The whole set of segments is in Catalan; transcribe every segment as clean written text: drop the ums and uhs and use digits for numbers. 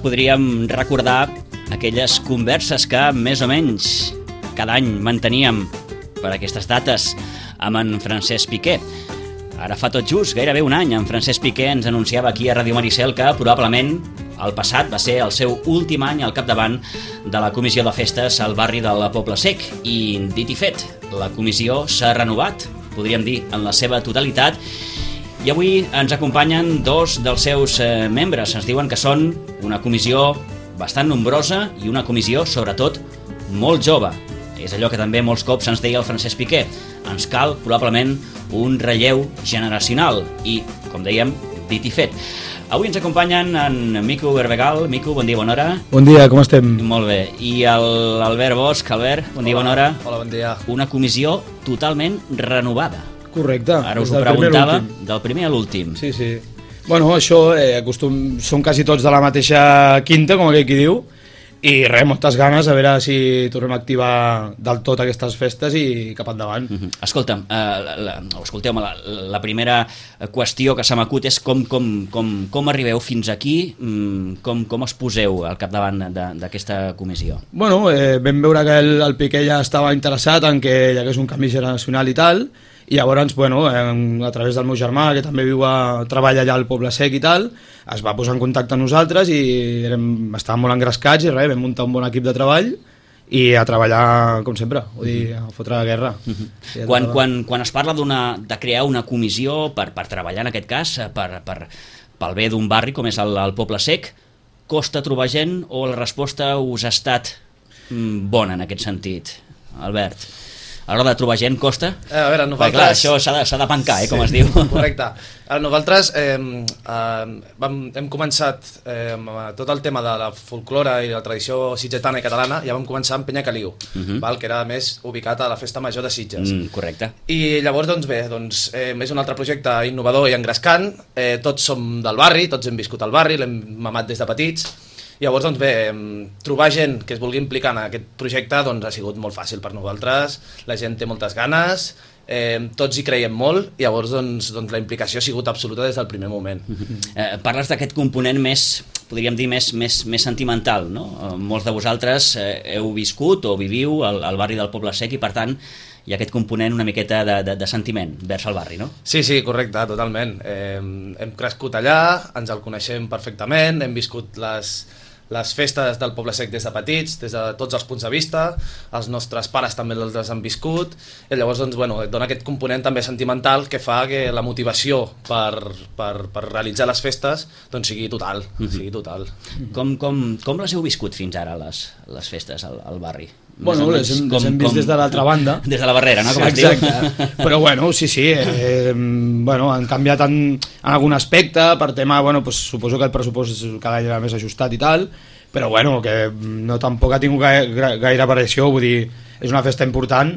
Podríem recordar aquelles converses que més o menys cada any manteníem per aquestes dates amb en Francesc Piqué. Ara fa tot just gairebé un any en Francesc Piqué ens anunciava aquí a Ràdio Maricel que probablement el passat va ser el seu últim any al capdavant de la comissió de festes al barri del Poble Sec i dit i fet, la comissió s'ha renovat, podríem dir, en la seva totalitat. I avui ens acompanyen dos dels seus membres. Ens diuen que són una comissió bastant nombrosa i una comissió, sobretot, molt jove. És allò que també molts cops ens deia el Francesc Piqué. Ens cal, probablement, un relleu generacional. I, com dèiem, dit i fet. Avui ens acompanyen en Mico Berbegal. Mico, bon dia, bona hora. Bon dia, com estem? Molt bé. I l'Albert Bosch. Albert, bon dia, bona hora. Hola, bon dia. Una comissió totalment renovada. Correcte. Ara us ho preguntava, del primer a l'últim. Sí, sí. Bueno, això són quasi tots de la mateixa quinta, com aquell qui diu, i res, moltes ganes a veure si tornem a activar del tot aquestes festes i cap endavant. Escolta'm, escolteu-me, la primera qüestió que se m'acut és com arribeu fins aquí, com es poseu al capdavant d'aquesta comissió? Bueno, vam veure que el Piqué ja estava interessat en que hi hagués un canvi generacional i tal, i llavors, bueno, a través del meu germà, que també treballa allà al Poble Sec i tal, es va posar en contacte amb nosaltres i estàvem molt engrescats i res, vam muntar un bon equip de treball i a treballar com sempre, vull dir, a fotre la guerra. Quan es parla de crear una comissió per treballar, en aquest cas, pel bé d'un barri com és el Poble Sec, costa trobar gent o la resposta us ha estat bona en aquest sentit? Albert, a l'hora de trobar gent costa? A veure, nosaltres... Clar, això s'ha de pencar, com es diu. Correcte. Nosaltres hem començat tot el tema de la folklore i la tradició sitgetana i catalana, ja vam començar amb Penya Caliu, que era més ubicat a la Festa Major de Sitges. Correcte. I llavors, doncs bé, és un altre projecte innovador i engrescant, tots som del barri, tots hem viscut al barri, l'hem mamat des de petits. Llavors, doncs bé, trobar gent que es vulgui implicar en aquest projecte ha sigut molt fàcil per nosaltres, la gent té moltes ganes, tots hi creiem molt, i llavors la implicació ha sigut absoluta des del primer moment. Parles d'aquest component més, podríem dir, més sentimental, no? Molts de vosaltres heu viscut o viviu al barri del Poble Sec i, per tant, hi ha aquest component una miqueta de sentiment vers el barri, no? Sí, correcte, totalment. Hem crescut allà, ens el coneixem perfectament, hem viscut les festes del Poble Sec des de petits, des de tots els punts de vista, els nostres pares també les han viscut, i llavors dona aquest component també sentimental que fa que la motivació per realitzar les festes sigui total. Com les heu viscut fins ara, les festes al barri? Bueno, les hem vist des de l'altra banda. Des de la barrera, no? Com es diu. Exacte. Però bueno, sí, han canviat en algun aspecte, per tema, suposo que el pressupost cada any era més ajustat i tal, però bueno, que no tampoc ha tingut gaire variació, vull dir, és una festa important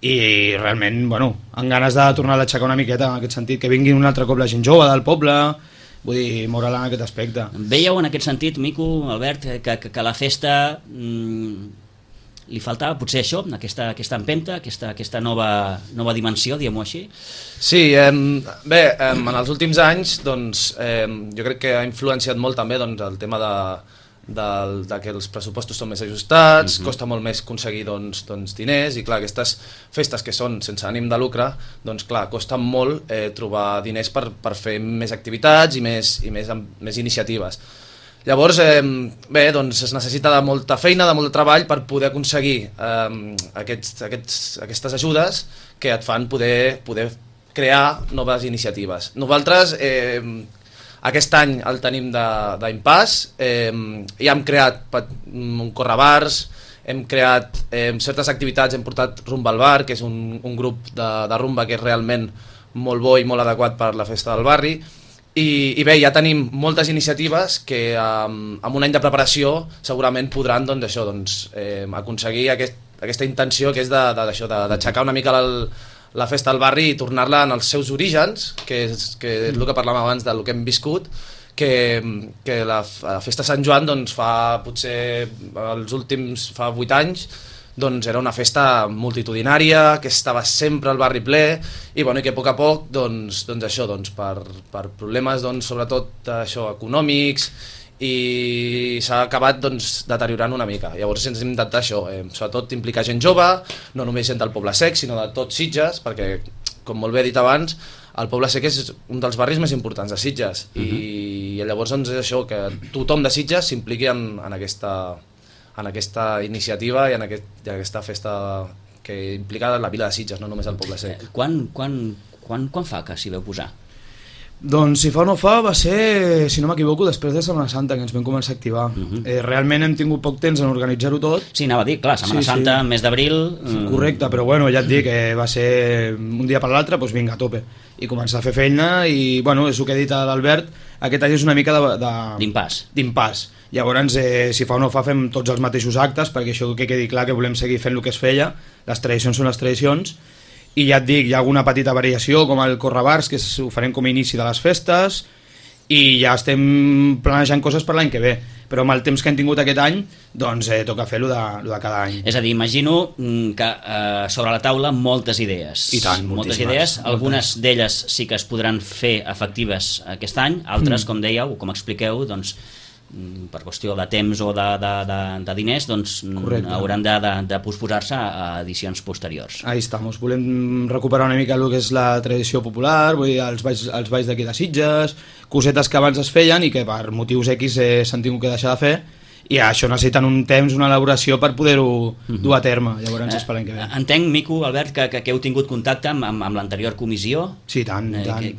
i realment, amb ganes de tornar a aixecar una miqueta en aquest sentit, que vingui un altre cop la gent jove del poble, vull dir, moure-la en aquest aspecte. Veieu en aquest sentit, Mico, Albert, que la festa... li faltava potser això, aquesta empenta, aquesta nova dimensió, diguem-ho així? Sí, bé, en els últims anys jo crec que ha influenciat molt també el tema de que els pressupostos són més ajustats, costa molt més aconseguir diners, i clar, aquestes festes que són sense ànim de lucre, clar, costa molt trobar diners per fer més activitats i més iniciatives. Llavors, bé, es necessita de molta feina, de molt de treball per poder aconseguir aquestes ajudes que et fan poder crear noves iniciatives. Nosaltres aquest any el tenim d'impàs, ja hem creat un correbars, hem creat certes activitats, hem portat Rumba al Bar, que és un grup de rumba que és realment molt bo i molt adequat per la festa del barri, i bé, ja tenim moltes iniciatives que amb un any de preparació segurament podran aconseguir aquesta intenció que és d'aixecar una mica la festa del barri i tornar-la en els seus orígens, que és el que parlàvem abans del que hem viscut, que la festa Sant Joan fa potser els últims 8 anys era una festa multitudinària, que estava sempre al barri ple i que a poc a poc per problemes sobretot econòmics i s'ha acabat deteriorant una mica. Llavors ens hem d'intentar sobretot implicar gent jove, no només gent del Poble Sec sinó de tots Sitges, perquè com molt bé he dit abans, el Poble Sec és un dels barris més importants de Sitges i llavors és això, que tothom de Sitges s'impliqui en aquesta iniciativa i en aquesta festa que implica la vila de Sitges, no només el Poble Sec. Quan fa que s'hi veu posar? Doncs si fa o no fa va ser, si no m'equivoco, després de Setmana Santa que ens vam començar a activar. Realment hem tingut poc temps en organitzar-ho tot. Sí, anava a dir, clar, Setmana Santa, mes d'abril... Correcte, però bueno, ja et dic que va ser un dia per l'altre, doncs vinga, a tope. I començar a fer feina i, bueno, és el que ha dit l'Albert, aquest any és una mica d'impàs. Llavors, si fa o no fa, fem tots els mateixos actes, perquè això que quedi clar que volem seguir fent el que es feia, les tradicions són les tradicions, i ja et dic, hi ha alguna petita variació com el Correbars, que ho farem com a inici de les festes, i ja estem planejant coses per l'any que ve, però amb el temps que hem tingut aquest any doncs toca fer-lo de cada any. És a dir, imagino que sobre la taula moltes idees. I tant, moltes idees, algunes d'elles sí que es podran fer efectives aquest any, altres, com dèieu, com expliqueu, doncs per qüestió de temps o de diners, doncs hauran de posposar-se a edicions posteriors. Ahí estamos, volem recuperar una mica el que és la tradició popular, vull dir, els balls d'aquí de Sitges, cosetes que abans es feien i que per motius X s'han tingut que deixar de fer, i això necessiten un temps, una elaboració per poder-ho dur a terme. Llavors esperem que ve. Entenc, Mico, Albert, que heu tingut contacte amb l'anterior comissió. Sí, tant.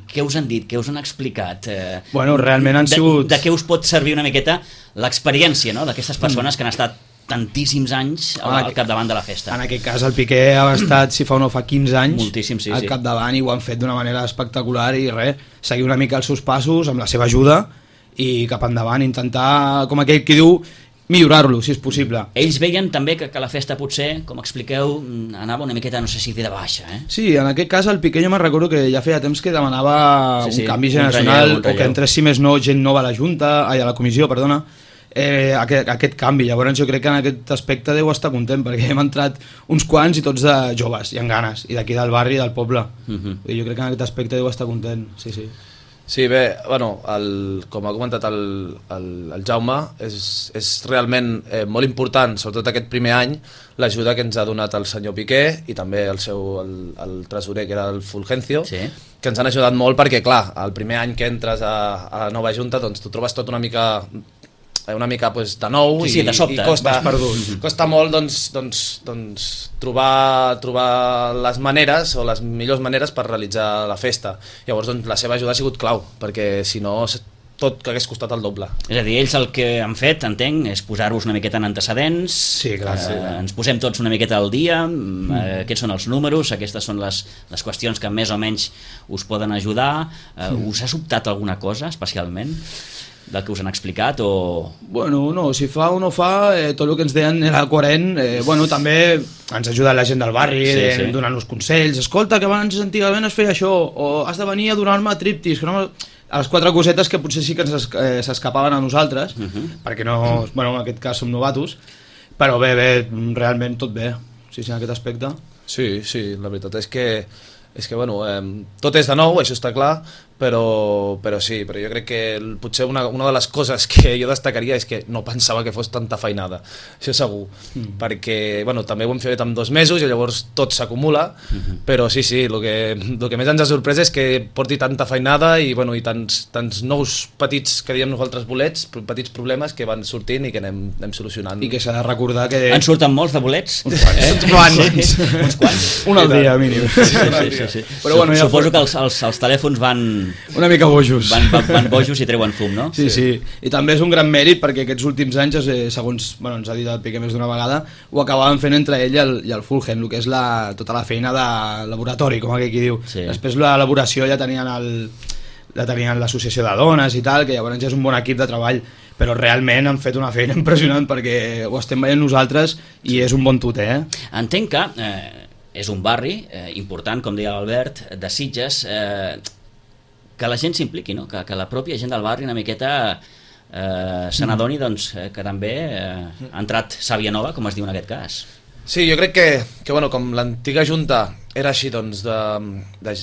Què us han dit? Què us han explicat? Bueno, realment han sigut... De què us pot servir una miqueta l'experiència, no?, d'aquestes persones que han estat tantíssims anys al capdavant de la festa. En aquest cas el Piqué ha estat, si fa o no fa 15 anys, moltíssim, sí, al capdavant, i ho han fet d'una manera espectacular i seguir una mica els seus passos amb la seva ajuda i cap endavant, intentar, com aquell qui diu, millorar-lo, si és possible. Ells veien també que la festa potser, com expliqueu, anava una miqueta, no sé si de baixa, Sí, en aquest cas el Piqué jo me'n recordo que ja feia temps que demanava un canvi generacional, o que entrés, si més no, gent nova a la comissió, perdona, aquest canvi. Llavors jo crec que en aquest aspecte deu estar content, perquè hem entrat uns quants i tots de joves i amb ganes, i d'aquí del barri i del poble. Jo crec que en aquest aspecte deu estar content, sí. Sí, bé, bueno, com ha comentat el Jaume, és realment molt important, sobretot aquest primer any, l'ajuda que ens ha donat el senyor Piqué i també el tresorer, que era el Fulgencio, que ens han ajudat molt perquè, clar, el primer any que entres a la nova junta, doncs tu trobes tot una mica de nou i costa molt trobar les maneres o les millors maneres per realitzar la festa. Llavors la seva ajuda ha sigut clau, perquè si no tot que hagués costat el doble. És a dir, ells el que han fet, entenc, és posar-vos una miqueta en antecedents. Sí, clar. Ens posem tots una miqueta al dia, aquests són els números, aquestes són les qüestions que més o menys us poden ajudar. Us ha sobtat alguna cosa especialment del que us han explicat? Bueno, no, si fa o no fa, tot el que ens deien era coherent. Bueno, també ens ha ajudat la gent del barri, donant-nos consells. Escolta, que abans antigament es feia això, o has de venir a donar-me triptis, que no... A les 4 cosetes que potser sí que s'escapaven a nosaltres, perquè no, bueno, en aquest cas som novatos, però bé, realment tot bé, sí, en aquest aspecte. Sí, la veritat és que bueno, tot és de nou, això està clar, però sí, però jo crec que potser una de les coses que jo destacaria és que no pensava que fos tanta feinada, això segur, perquè bueno, també ho hem fet en 2 mesos i llavors tot s'acumula, però sí, el que més ens ha sorprès és que porti tanta feinada i, bueno, i tants nous petits, que diem nosaltres bolets, petits problemes que van sortint i que anem solucionant. I que s'ha de recordar que... En surten molts de bolets? Uns quants. Un al dia, mínim. Sí. sí. Però, bueno, ja suposo que els telèfons van... Una mica bojos. Van bojos i treuen fum, no? Sí, sí. I també és un gran mèrit perquè aquests últims anys, segons ens ha dit el Piqué més d'una vegada, ho acabaven fent entre ell i el Fulham, el que és tota la feina de laboratori, com aquí diu. Sí. Després l'elaboració ja tenien l'associació de dones i tal, que llavors ja és un bon equip de treball, però realment han fet una feina impressionant perquè ho estem veient nosaltres i és un bon tuter. Entenc que és un barri important, com deia l'Albert, de Sitges, que la gent s'impliqui, no? Que la pròpia gent del barri una miqueta se n'adoni doncs, que també ha entrat sàvia nova, com es diu en aquest cas. Sí, jo crec que bueno, com l'antiga junta era així, doncs,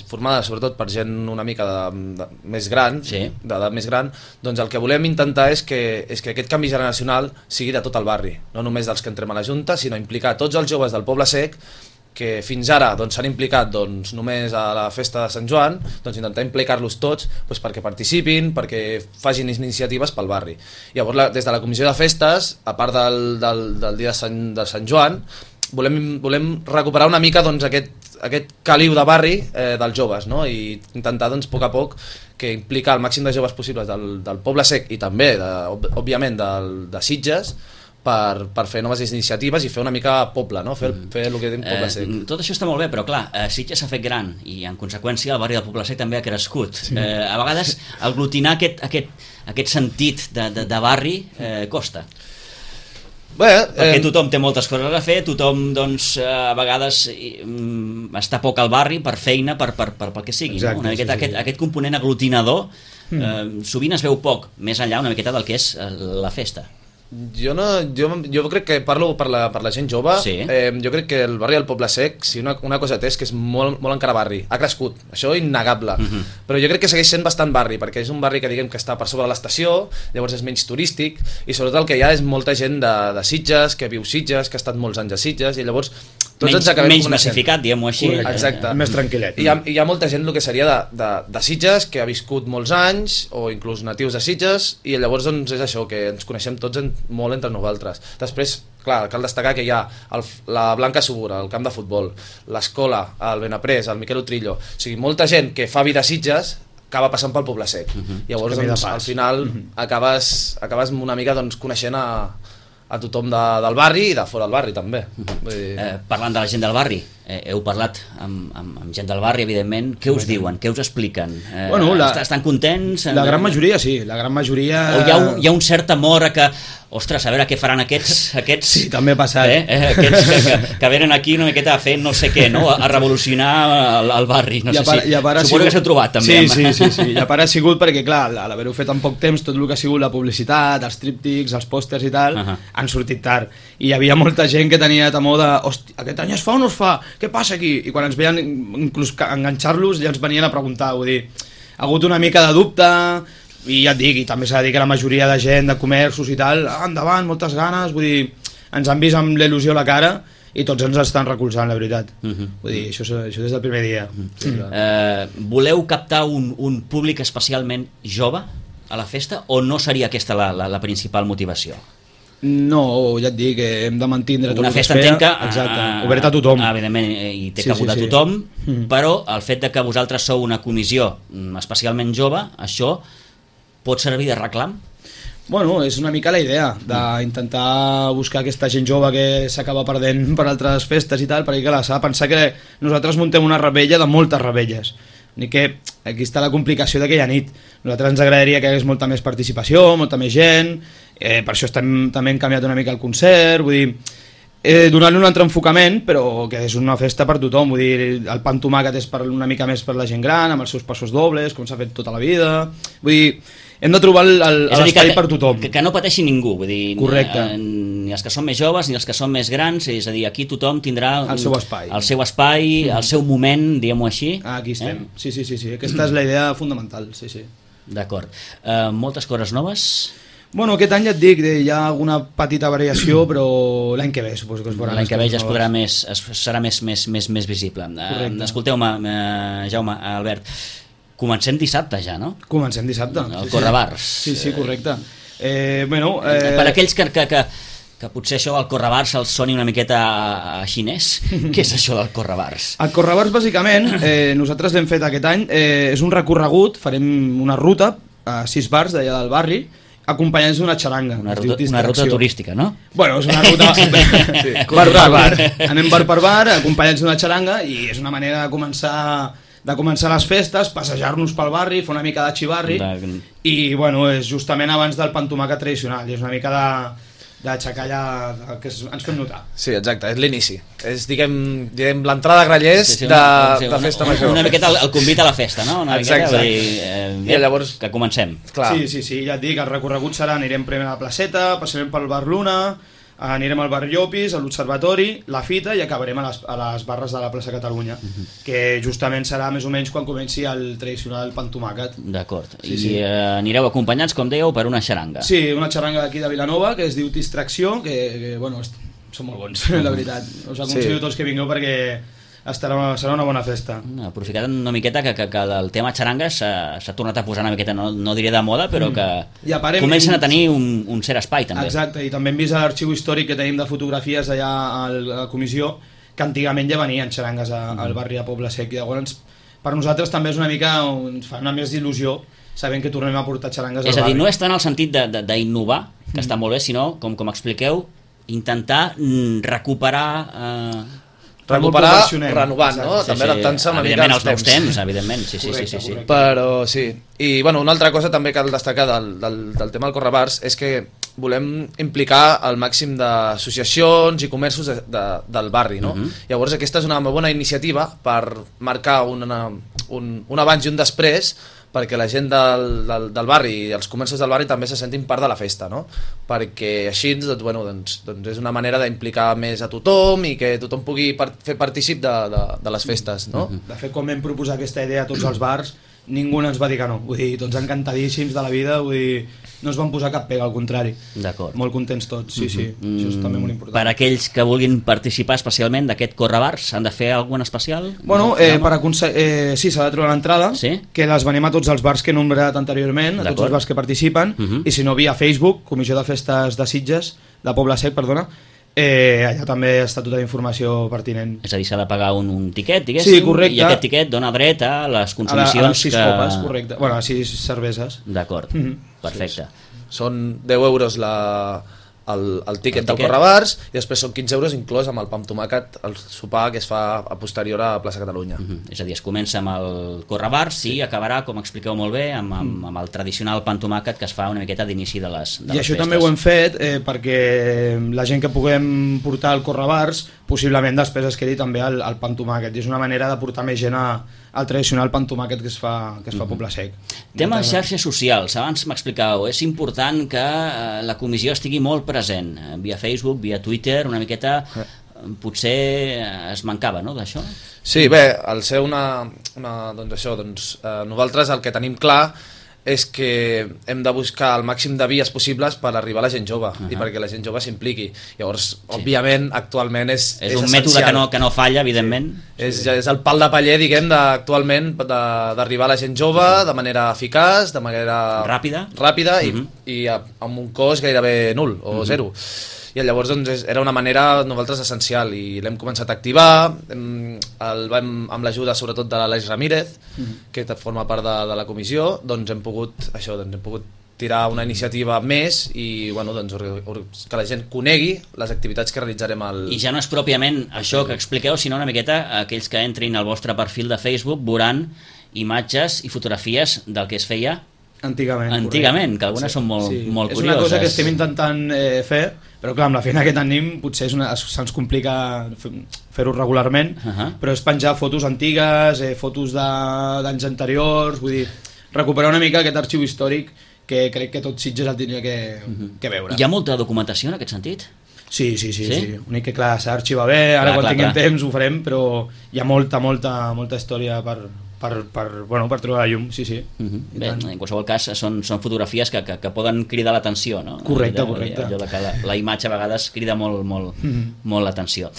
formada sobretot per gent una mica més gran, sí, d'edat més gran, doncs el que volem intentar és que aquest canvi generacional sigui de tot el barri, no només dels que entrem a la junta, sinó implicar tots els joves del Poble Sec que fins ara s'han implicat només a la festa de Sant Joan, intentar implicar-los tots perquè participin, perquè facin iniciatives pel barri. Llavors, des de la comissió de festes, a part del dia de Sant Joan, volem recuperar una mica aquest caliu de barri dels joves, no? I intentar a poc a poc que implicar el màxim de joves possibles del Poble Sec i també, òbviament, de Sitges, per fer noves iniciatives i fer una mica poble, no? Fer el que diem Poble Sec. Tot això està molt bé, però clar, Sitges s'ha fet gran i en conseqüència el barri del Poble Sec també ha crescut. Sí. A vegades aglutinar aquest sentit de barri costa. Perquè tothom té moltes coses a fer, tothom doncs, a vegades està poc al barri per feina, per que sigui. Exacte, no? Aquest component aglutinador sovint es veu poc, més enllà una miqueta del que és la festa. Jo crec que parlo per la gent jove, sí. Jo crec que el barri del Poble Sec, si una cosa té és que és molt encara barri, ha crescut, això innegable, però jo crec que segueix sent bastant barri, perquè és un barri que diguem que està per sobre l'estació, llavors és menys turístic, i sobretot el que hi ha és molta gent de Sitges, que viu Sitges, que ha estat molts anys a Sitges, i llavors tots ens acabem menys massificat, diguem-ho així. Exacte. Més tranquil·let. Hi ha molta gent el que seria de Sitges, que ha viscut molts anys, o inclús natius de Sitges, i llavors doncs, és això, que ens coneixem tots molt entre nosaltres. Després, clar, cal destacar que hi ha la Blanca Subura, el camp de futbol, l'escola, el Benaprés, el Miquel Utrillo, o sigui, molta gent que fa vida a Sitges acaba passant pel Poble Sec. Llavors, doncs, al final, acabes una mica coneixent a tothom del barri i de fora del barri també. Parlant de la gent del barri, heu parlat amb gent del barri, evidentment. Què us diuen? Què us expliquen? Estan contents? La gran majoria sí, la gran majoria... O hi ha un cert temor a que, ostres, a veure què faran aquests sí, també ha passat. Aquests que venen aquí una miqueta a fer no sé què, no? A revolucionar el barri. No sé si... Suposo que s'heu trobat també. Sí. I a part ha sigut perquè, clar, a l'haver-ho fet en poc temps, tot el que ha sigut la publicitat, els tríptics, els pòsters i tal, han sortit tard. I hi havia molta gent que tenia temor de, hòstia, aquest any es fa o no es fa? Què passa aquí? I quan ens veien inclús enganxar-los ja ens venien a preguntar, vull dir, ha hagut una mica de dubte i ja et dic, i també s'ha de dir que la majoria de gent de comerços i tal, endavant, moltes ganes, vull dir, ens han vist amb l'il·lusió a la cara i tots ens estan recolzant, la veritat. Vull dir, això des del primer dia. Voleu captar un públic especialment jove a la festa o no seria aquesta la principal motivació? No, ja et dic, hem de mantindre tot una el que festa es feia. Entenc que exacte, obert a tothom. Evidentment, i té cabut a tothom, però el fet de que vosaltres sou una comissió especialment jove, això pot servir de reclam? Bueno, és una mica la idea d'intentar buscar aquesta gent jove que s'acaba perdent per altres festes i tal, perquè clar, s'ha de pensar que nosaltres muntem una rebella de moltes rebelles. Ni que aquí està la complicació d'aquella nit. Nosaltres ens agradaria que hi hagués molta més participació, molta més gent, per això també hem canviat una mica el concert, vull dir, donar-li un altre enfocament, però que és una festa per tothom, vull dir, el pa amb tomàquet és una mica més per la gent gran, amb els seus passos dobles, com s'ha fet tota la vida, vull dir, hem de trobar l'espai per tothom. Que no pateixi ningú, vull dir, correcte. Ni els que són més joves ni els que són més grans, és a dir, aquí tothom tindrà el seu espai, el seu moment, diguem-ho així. Aquí estem, sí, aquesta és la idea fundamental, sí. D'acord. Moltes coses noves? Bueno, aquest any ja et dic, hi ha alguna petita variació, però l'any que ve suposo que es veurà. L'any que ve ja serà més visible. Escolteu-me, Jaume, Albert, comencem dissabte ja, no? Comencem dissabte. El Correbars. Sí, correcte. Per aquells que potser això del correbars els soni una miqueta a xinès. Què és això del correbars? El correbars, bàsicament, nosaltres l'hem fet aquest any, és un recorregut, farem una ruta a 6 bars d'allà del barri, acompanyats d'una xaranga. Una ruta turística, no? Bueno, és una ruta sí, bar per bar. Anem bar per bar, acompanyats d'una xaranga, i és una manera de començar les festes, passejar-nos pel barri, fer una mica de xivarri, i bueno, és justament abans del pa amb tomàquet tradicional, i és una mica d'aixecar allà que ens fem notar. Sí, exacte, és l'inici. És, diguem l'entrada a Grallers de festa major. Una miqueta el convit a la festa, no? Exacte. I llavors que comencem. Clar. Sí, ja et dic, el recorregut serà, anirem primer a la placeta, passarem pel bar Luna, anirem al bar Llopis, a l'Observatori, la Fita, i acabarem a les barres de la plaça Catalunya, que justament serà més o menys quan comenci el tradicional pa amb tomàquet. D'acord. I anireu acompanyats, com dèieu, per una xaranga. Sí, una xaranga d'aquí de Vilanova, que es diu Distracció, que bueno, són molt bons, la veritat. Us aconsello tots que vingueu perquè serà una bona festa. Aprofitant una miqueta que el tema xaranga s'ha tornat a posar una miqueta, no diré de moda, però que comencen a tenir un cert espai també. Exacte, i també hem vist l'arxiu històric que tenim de fotografies allà a la comissió, que antigament ja venien xarangues al barri de Poble Sec, i llavors per nosaltres també és una mica, ens fa una més d'il·lusió sabent que tornem a portar xarangues al barri. És a dir, no és tant el sentit d'innovar, que està molt bé, sinó, com expliqueu, intentar recuperar renovant, no? També adaptant-se una mica als nous temps, evidentment, sí. Però sí, i bueno, una altra cosa també cal destacar del tema del correbars és que volem implicar el màxim d'associacions i comerços del barri, no? Llavors aquesta és una bona iniciativa per marcar un abans i un després, perquè la gent del barri i els comerços del barri també se sentin part de la festa, no? Perquè així doncs és una manera d'implicar més a tothom i que tothom pugui fer partícip de les festes, no? De fet, quan vam proposar aquesta idea a tots els bars, ningú ens va dir que no, vull dir, tots encantadíssims de la vida, vull dir, no es van posar cap pega, al contrari. D'acord. Molt contents tots, sí, això és també molt important. Per aquells que vulguin participar especialment d'aquest correbars, s'han de fer algun especial? Bueno, sí, s'ha de trobar l'entrada, que les venem a tots els bars que he nombrat anteriorment, a tots els bars que participen, i si no, via Facebook, Comissió de Festes de Sitges, de Poble Sec, perdona, allà també està tota la informació pertinent. És a dir, s'ha de pagar un tiquet, diguéssim, sí, correcte. I aquest tiquet dona dret a les consumicions a les 6 copes, correcte. Bueno, a 6 cerveses. D'acord, perfecte. Són 10 euros el tiquet del correbars i després són 15 euros inclòs amb el pa amb tomàquet, el sopar que es fa a posterior a Plaça Catalunya. És a dir, es comença amb el correbars i acabarà, com expliqueu molt bé, amb el tradicional pa amb tomàquet que es fa una miqueta d'inici de les festes. I això també ho hem fet perquè la gent que puguem portar el correbars possiblement després es quedi també el pa amb tomàquet, i és una manera de portar més gent al tradicional pa amb tomàquet que es fa a Poble Sec. Tema xarxes socials, abans m'explicàveu, és important que la comissió estigui molt present, via Facebook, via Twitter, una miqueta potser es mancava, no, d'això? Sí, bé, al ser nosaltres el que tenim clar és que hem de buscar el màxim de vies possibles per arribar a la gent jove i perquè la gent jove s'impliqui. Llavors, òbviament, actualment és un mètode que no falla, evidentment. És el pal de paller, diguem, actualment d'arribar a la gent jove de manera eficaç, de manera ràpida i amb un cost gairebé nul o zero. I llavors era una manera nosaltres essencial i l'hem començat a activar, amb l'ajuda sobretot de l'Aleix Ramírez, que forma part de la comissió, doncs hem pogut tirar una iniciativa més i que la gent conegui les activitats que realitzarem I ja no és pròpiament això que expliqueu, sinó una miqueta aquells que entrin al vostre perfil de Facebook veuran imatges i fotografies del que es feia antigament, que algunes són molt curioses. És una cosa que estem intentant fer, però clar, amb la feina que tenim potser se'ns complica fer-ho regularment, però és penjar fotos antigues, fotos d'anys anteriors, vull dir, recuperar una mica aquest arxiu històric que crec que tot Sitges el tindria que veure. Hi ha molta documentació en aquest sentit? Sí. Únic que clar, s'ha d'arxivar bé, ara quan tinguem temps ho farem, però hi ha molta història per trobar la llum, sí. Bé, en qualsevol cas són fotografies que poden cridar l'atenció, no? Correcte. Allò que la imatge a vegades crida molt l'atenció.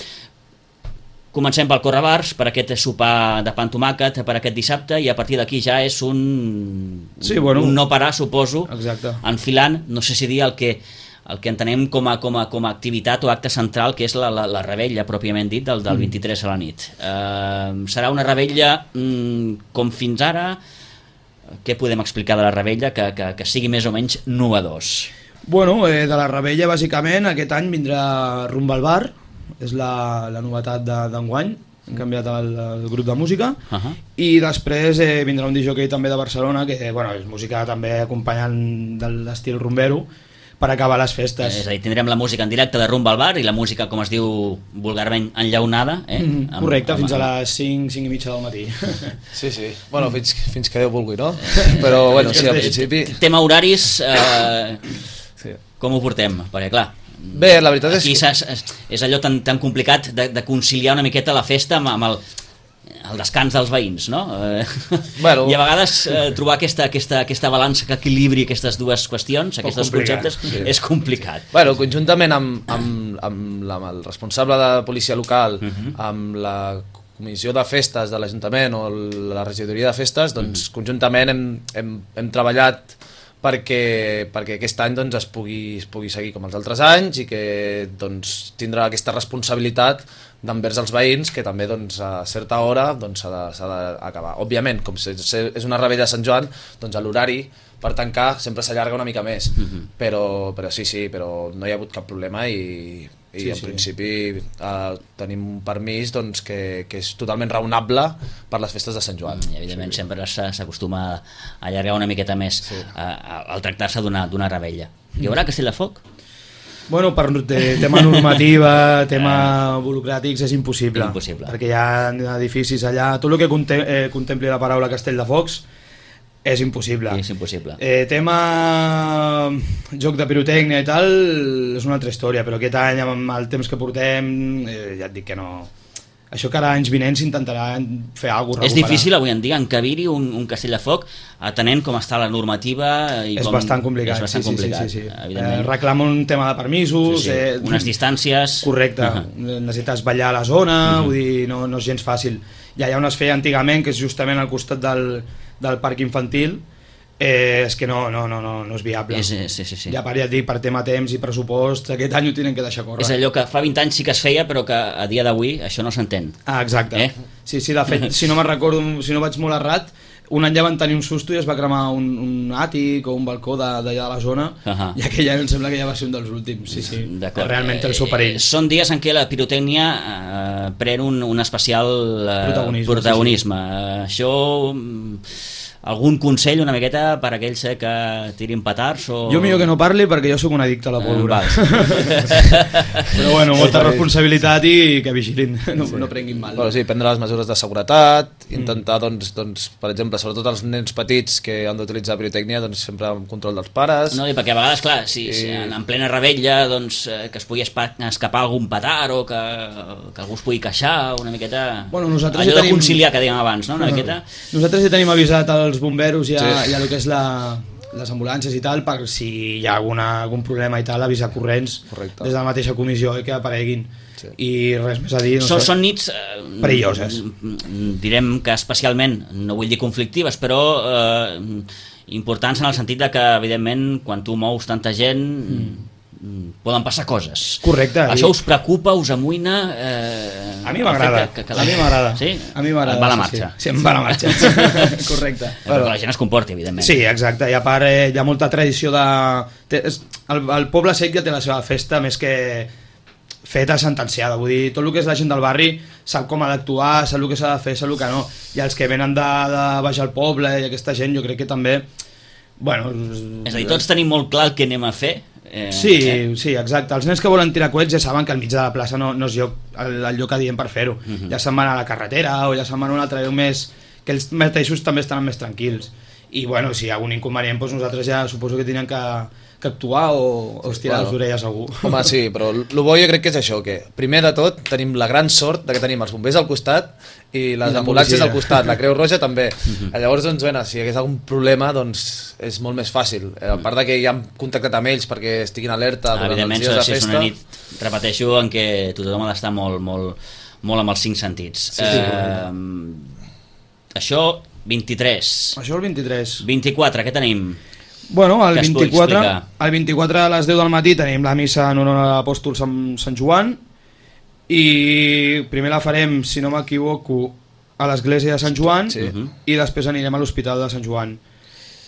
Comencem pel correbars, per aquest sopar de pa amb tomàquet, per aquest dissabte, i a partir d'aquí ja és un no parar, suposo, enfilant, no sé si dir el el que entenem com a activitat o acte central, que és la revetlla pròpiament dit del 23 a la nit. Serà una revetlla com fins ara. Què podem explicar de la revetlla que sigui més o menys novedós? Bueno, de la revetlla bàsicament aquest any vindrà Rumba al Bar, és la novetat d'enguany, hem canviat el grup de música, i després vindrà un disjockey també de Barcelona, que és música també acompanyant de l'estil rumbero, per acabar les festes. És a dir, tindrem la música en directe de Rumba al Bar i la música, com es diu vulgarment, enllaunada. Correcte, fins a les 5 i mitja del matí. Sí. Bueno, fins que Déu vulgui, no? Però, bueno, sí, al principi... Tema horaris, com ho portem? Perquè, clar, bé, la veritat aquí és allò tan complicat de conciliar una miqueta la festa amb el descans dels veïns, no? Bueno, i a vegades trobar aquesta balança que equilibri aquestes dues qüestions, aquests dos conceptes, és complicat. Bueno, conjuntament amb el responsable de policia local, amb la comissió de festes de l'Ajuntament o la regidoria de festes, doncs conjuntament hem treballat perquè aquest any doncs, es pugui seguir com els altres anys i que doncs, tindrà aquesta responsabilitat d'envers els veïns, que també doncs, a certa hora doncs, s'ha d'acabar. Òbviament, com és una revetlla de Sant Joan, doncs, l'horari per tancar sempre s'allarga una mica més, però però no hi ha hagut cap problema i en principi tenim un permís doncs, que és totalment raonable per les festes de Sant Joan. I evidentment sempre s'acostuma a allargar una miqueta més al tractar-se d'una revetlla. Hi haurà castell de foc? Bueno, per tema normativa, tema burocràtics, és impossible. Perquè hi ha edificis allà, tot el que contempli la paraula castell de focs és impossible. Tema joc de pirotècnia i tal és una altra història, però aquest any amb el temps que portem ja et dic que no. Això que ara anys vinents s'intentarà fer alguna cosa. És difícil avui en dia encabir-hi un castell de foc atenent com està la normativa i és bastant complicat. És bastant complicat. Sí. Reclama un tema de permisos, unes distàncies. Correcte, necessites ballar a la zona, vull dir, no és gens fàcil. Ja on es feia antigament, que és justament al costat del parc infantil, és que no és viable. Sí. Ja et dic, per tema temps i pressupost, aquest any ho tenen que deixar córrer. És allò que fa 20 anys sí que es feia, però que a dia d'avui això no s'entén. Exacte. Sí, de fet, si no me'n recordo, si no vaig molt errat, un any ja van tenir un susto i es va cremar un àtic o un balcó d'allà de la zona, i aquell any em sembla que ja va ser un dels últims. Sí. Realment té el seu perill. Són dies en què la pirotècnia pren un especial protagonisme. Això... Algun consell una miqueta per a aquells que tirin petards? Jo millor que no parli perquè jo sóc un addicte a la pólvora. Però bueno, molta responsabilitat i que vigilin, no prenguin mal. Bueno, sí, prendre les mesures de seguretat, intentar, doncs, per exemple, sobretot els nens petits que han d'utilitzar pirotècnia, doncs sempre amb control dels pares. No, i perquè a vegades, clar, si en plena revetlla doncs, que es pugui escapar algun petard o que algú es pugui queixar una miqueta... Bueno, allò de conciliar que dèiem abans, no? Una miqueta... Nosaltres ja tenim avisat els bomberos i a lo que és les ambulàncies i tal, per si hi ha algun problema i tal, avisar corrents. Correcte. Des de la mateixa comissió que apareguin. I res més a dir, són nits perilloses, direm que especialment, no vull dir conflictives, però importants en el sentit de que evidentment quan tu mous tanta gent poden passar coses. Correcte. Això us preocupa, us amoïna? A mi m'agrada. A mi m'agrada. Sí? A mi m'agrada. Et va la marxa. Sí, em va la marxa. Correcte. Però que la gent es comporti, evidentment. Sí, exacte. I a part hi ha molta tradició de... El poble sec ja té la seva festa més que feta sentenciada, vull dir, tot el que és la gent del barri sap com ha d'actuar, sap el que s'ha de fer, sap el que no, i els que venen de baix al poble i aquesta gent jo crec que també, bueno... És a dir, tots tenim molt clar el que anem a fer. Sí, exacte. Els nens que volen tirar coets ja saben que al mig de la plaça no és el lloc adient per fer-ho. Ja se'n van a la carretera o ja se'n van a un altre lloc més, que ells mateixos també estan més tranquils. I bueno, si hi ha algun inconvenient, doncs nosaltres ja suposo que tenen que actuar o estirar les orelles a algú. Home, sí, però el bo jo crec que és això, que primer de tot tenim la gran sort de que tenim els bombers al costat i les ambulàncies al costat, la Creu Roja també. Llavors, doncs, bueno, si hi hagués algun problema, doncs és molt més fàcil. A part de que ja hem contactat amb ells perquè estiguin alerta durant els dies de festa. És una nit, repeteixo, en què tothom ha d'estar molt amb els 5 sentits. Això, 23. Això el 23. 24, què tenim? Bueno, el que es pugui 24, explicar. el 24 a les 10 del matí tenim la missa en honor a l'apòstol Sant Joan i primer la farem, si no m'equivoco, a l'església de Sant Joan i després anirem a l'hospital de Sant Joan.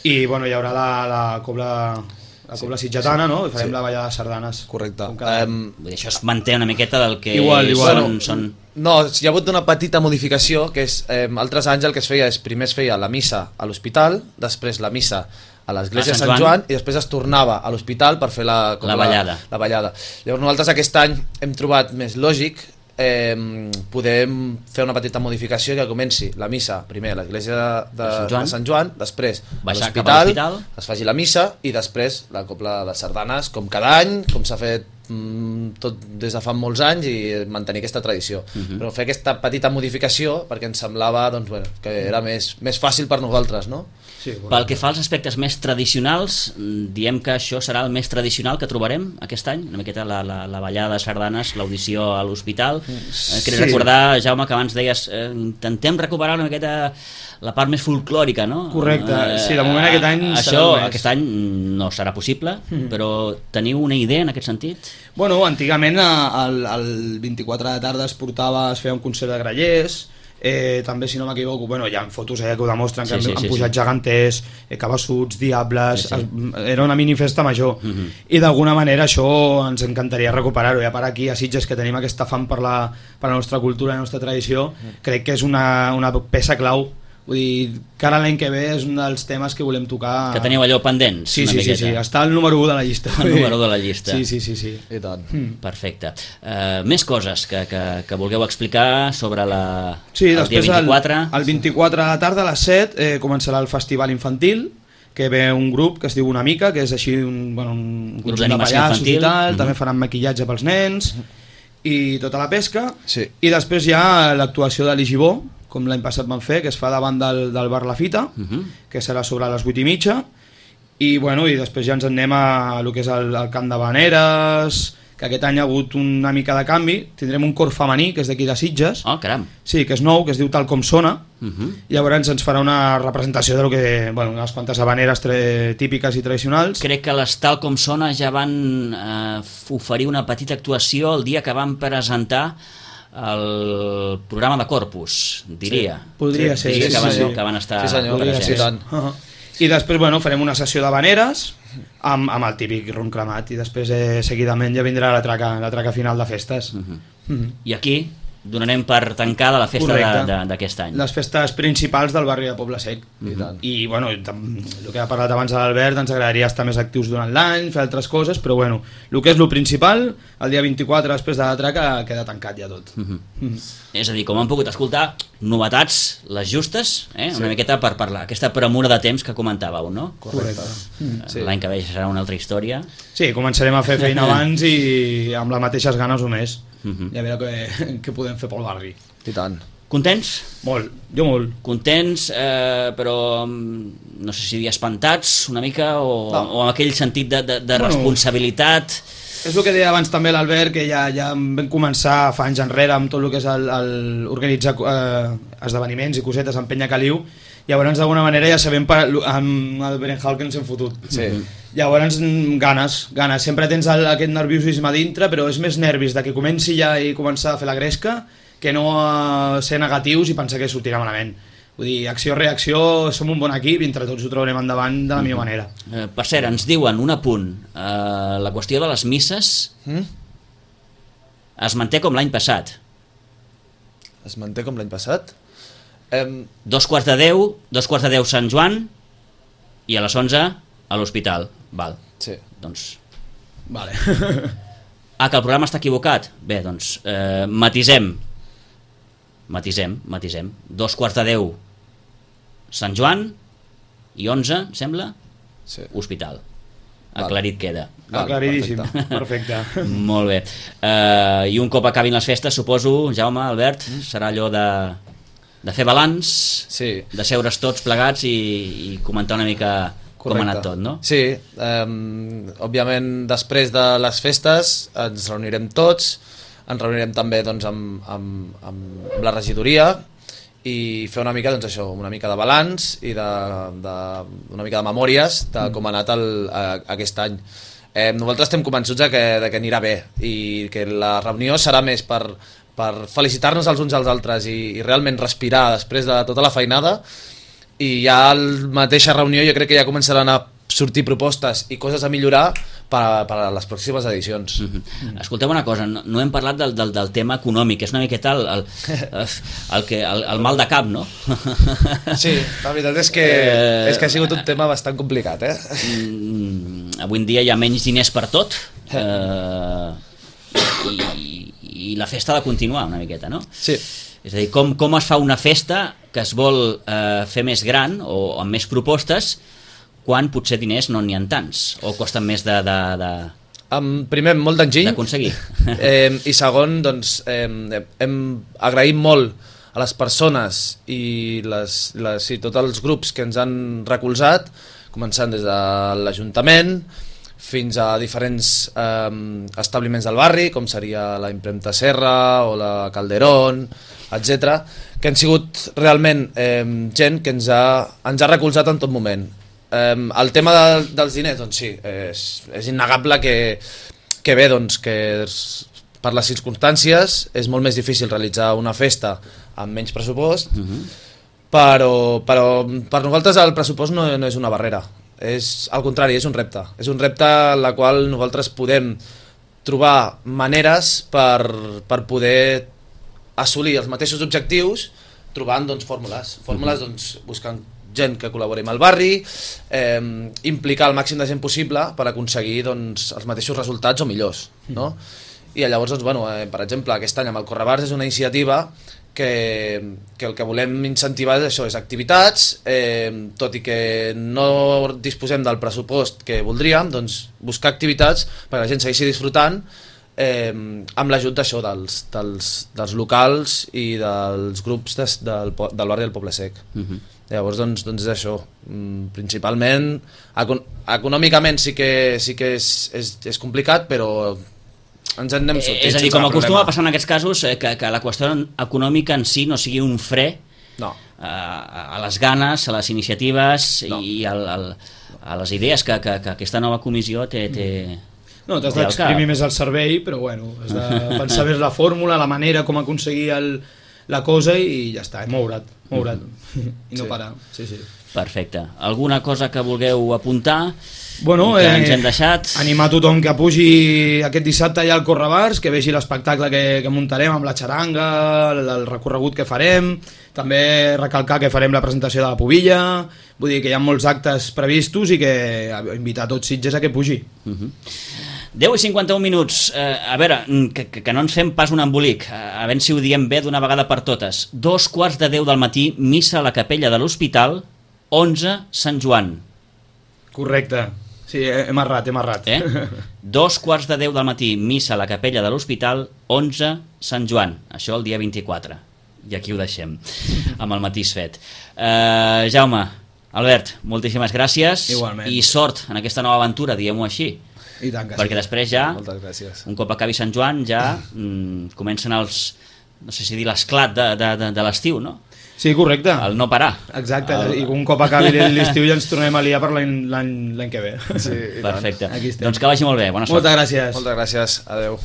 I bueno, hi haurà la cobla sitgetana, no? I farem la ballada de sardanes. Correcte. Vull dir, això es manté una miqueta del que Igual. són... No, hi ha hagut una petita modificació, que és, altres anys el que es feia és, primer es feia la missa a l'hospital, després la missa a l'església de Sant Joan i després es tornava a l'hospital per fer la ballada. Llavors nosaltres aquest any hem trobat més lògic podem fer una petita modificació que comenci la missa primer a l'església de Sant Joan, després a l'hospital es faci la missa i després la cobla de sardanes, com cada any, com s'ha fet tot des de fa molts anys, i mantenir aquesta tradició. Però fer aquesta petita modificació perquè ens semblava doncs, bueno, que era més fàcil per nosaltres, no? Sí, bueno. Pel que fa als aspectes més tradicionals, diem que això serà el més tradicional que trobarem aquest any, una miqueta la ballada de sardanes, l'audició a l'hospital. Queria recordar, Jaume, que abans deies intentem recuperar una miqueta la part més folclòrica, no? Correcte, sí, de moment aquest any això aquest any no serà possible, però teniu una idea en aquest sentit? Bueno, antigament el 24 de tarda es feia un concert de grallers, també, si no m'equivoco, bueno, hi ha fotos que ho demostren, que han pujat geganters, cabassuts, diables, era una minifesta major, i d'alguna manera això ens encantaria recuperar-ho, i a part aquí a Sitges, que tenim aquesta fam per la nostra cultura i la nostra tradició, crec que és una peça clau. Vull dir, que ara l'any que ve és un dels temes que volem tocar. Que teniu allò pendents? Sí, està al número 1 de la llista. El número 1 de la llista. Sí. I tant. Perfecte. Més coses que vulgueu explicar sobre el dia 24? El 24 a la tarda a les 7 començarà el festival infantil, que ve un grup que es diu Una Mica, que és així un grup de pallassos i tal, també faran maquillatge pels nens i tota la pesca, i després hi ha l'actuació de l'Igibó, com l'any passat van fer, que es fa davant del bar La Fita, que serà sobre les 8:30, i després ja ens anem a lo que és el camp de Vaneres, que aquest any ha hagut una mica de canvi. Tindrem un cor femení, que és d'aquí de Sitges. Oh, caram. Sí, que és nou, que es diu Tal Com Sona. Llavors ens farà una representació de lo que, unes quantes habaneres típiques i tradicionals. Crec que les Tal Com Sona ja van oferir una petita actuació el dia que van presentar el programa de Corpus, diria. Podria ser, que van estar presents. I després farem una sessió d'habaneres amb el típic ron cremat, i després seguidament ja vindrà la traca final de festes. I aquí donarem per tancada la festa d'aquest any. Les festes principals del barri de Poble Sec. I el que ha parlat abans l'Albert, ens agradaria estar més actius durant l'any, fer altres coses, però el que és el principal, el dia 24 després de la traca queda tancat ja tot. És a dir, com han pogut escoltar, novetats les justes, una miqueta per parlar, aquesta premura de temps que comentàveu, no? Correcte. L'any que ve serà una altra història. Sí, començarem a fer feina abans i amb les mateixes ganes o més. I a veure què podem fer pel barri. I tant. Contents? Molt, jo molt. Contents, però no sé si dir espantats una mica o amb aquell sentit de responsabilitat. És el que deia abans també l'Albert, que ja vam començar fa anys enrere amb tot el que és organitzar esdeveniments i cosetes en Penya Caliu. Llavors d'alguna manera ja sabem amb el Berenjal que ens hem fotut. Llavors ganes, sempre tens aquest nerviosisme dintre, però és més nervis de que comenci ja i començar a fer la gresca que no ser negatius i pensar que sortirà malament. Vull dir, acció-reacció, som un bon equip i entre tots ho trobarem endavant de la millor manera. Per cert, ens diuen un apunt, la qüestió de les misses es manté com l'any passat. Es manté com l'any passat? 2:15 Sant Joan i a les 11 a l'hospital. Val. Sí. Doncs... Vale. Que el programa està equivocat? Bé, doncs matisem. 2:15 Sant Joan i 11, sembla? Sí. Hospital. Aclarit queda. Aclaridíssim, perfecte. Molt bé. I un cop acabin les festes, suposo, Jaume, Albert, serà allò de fer balanç, de seure's tots plegats i comentar una mica com ha anat tot, no? Sí, òbviament després de les festes ens reunirem tots, ens reunirem també doncs, amb la regidoria i fer una mica, doncs això, una mica de balanç i una mica de memòries de com ha anat aquest any. Nosaltres estem convençuts de que anirà bé i que la reunió serà més per felicitar-nos els uns als altres i realment respirar després de tota la feinada, i ja a la mateixa reunió jo crec que ja començaran a sortir propostes i coses a millorar per a les pròximes edicions. Escolteu una cosa, no hem parlat del tema econòmic, és una miqueta el mal de cap, no? Sí, la veritat és que ha sigut un tema bastant complicat, Avui en dia hi ha menys diners per tot, i la festa ha de continuar una miqueta, no? Sí. És a dir, com es fa una festa que es vol fer més gran o amb més propostes quan potser diners no n'hi ha tants o costen més primer, molt d'enginy d'aconseguir. I segon, doncs, hem agraït molt a les persones i tots els grups que ens han recolzat, començant des de l'Ajuntament fins a diferents establiments del barri, com seria la Impremta Serra o la Calderón, etc., que han sigut realment gent que ens ha recolzat en tot moment. El tema dels diners, doncs sí, és innegable que bé, doncs, que per les circumstàncies és molt més difícil realitzar una festa amb menys pressupost, però per nosaltres el pressupost no és una barrera, és al contrari, és un repte en la qual nosaltres podem trobar maneres per poder assolir els mateixos objectius trobant, doncs, fórmules, doncs, buscant gent que col·labori amb el barri, implicar el màxim de gent possible per aconseguir, doncs, els mateixos resultats o millors, no? I llavors, doncs, bueno, per exemple, aquest any amb el Correbars és una iniciativa que el que volem incentivar és això, és activitats, tot i que no disposem del pressupost que voldríem, doncs buscar activitats perquè la gent segueixi disfrutant amb l'ajut d'això, dels locals i dels grups del barri del Poble Sec. Llavors, doncs és això. Principalment, econòmicament sí que és complicat, però ens en anem sortint. És a dir, com acostuma a passar en aquests casos, que la qüestió econòmica en si no sigui un fre a les ganes, a les iniciatives i a les idees que aquesta nova comissió té. No, t'has d'exprimir més el servei, però bueno, has de pensar més la fórmula, la manera com aconseguir la cosa i ja està, moure't i no parar. Sí. Perfecte. Alguna cosa que vulgueu apuntar? Bueno, que ens hem deixat? Animar tothom que pugi aquest dissabte allà al Correbars, que vegi l'espectacle que muntarem amb la xaranga, el recorregut que farem, també recalcar que farem la presentació de la pubilla, vull dir que hi ha molts actes previstos i que invitar tots Sitges a que pugi. 10 i 51 minuts, a veure, que no ens fem pas un embolic, a veure si ho diem bé d'una vegada per totes. 2:15 del matí, missa a la capella de l'Hospital, 11 Sant Joan. Correcte, sí, hem errat. 2:15 del matí, missa a la capella de l'Hospital, 11 Sant Joan, això el dia 24, i aquí ho deixem, amb el matís fet. Jaume, Albert, moltíssimes gràcies. Igualment. I sort en aquesta nova aventura, diguem-ho així. I tant que perquè després ja, un cop acabi Sant Joan, ja comencen els, no sé si dir l'esclat de l'estiu, no? Sí, correcte. El no parar. Exacte, i un cop acabi l'estiu ja ens tornem a liar per l'any que ve. Sí, perfecte. Doncs que vagi molt bé, bona sort. Moltes gràcies. Moltes gràcies, adeu.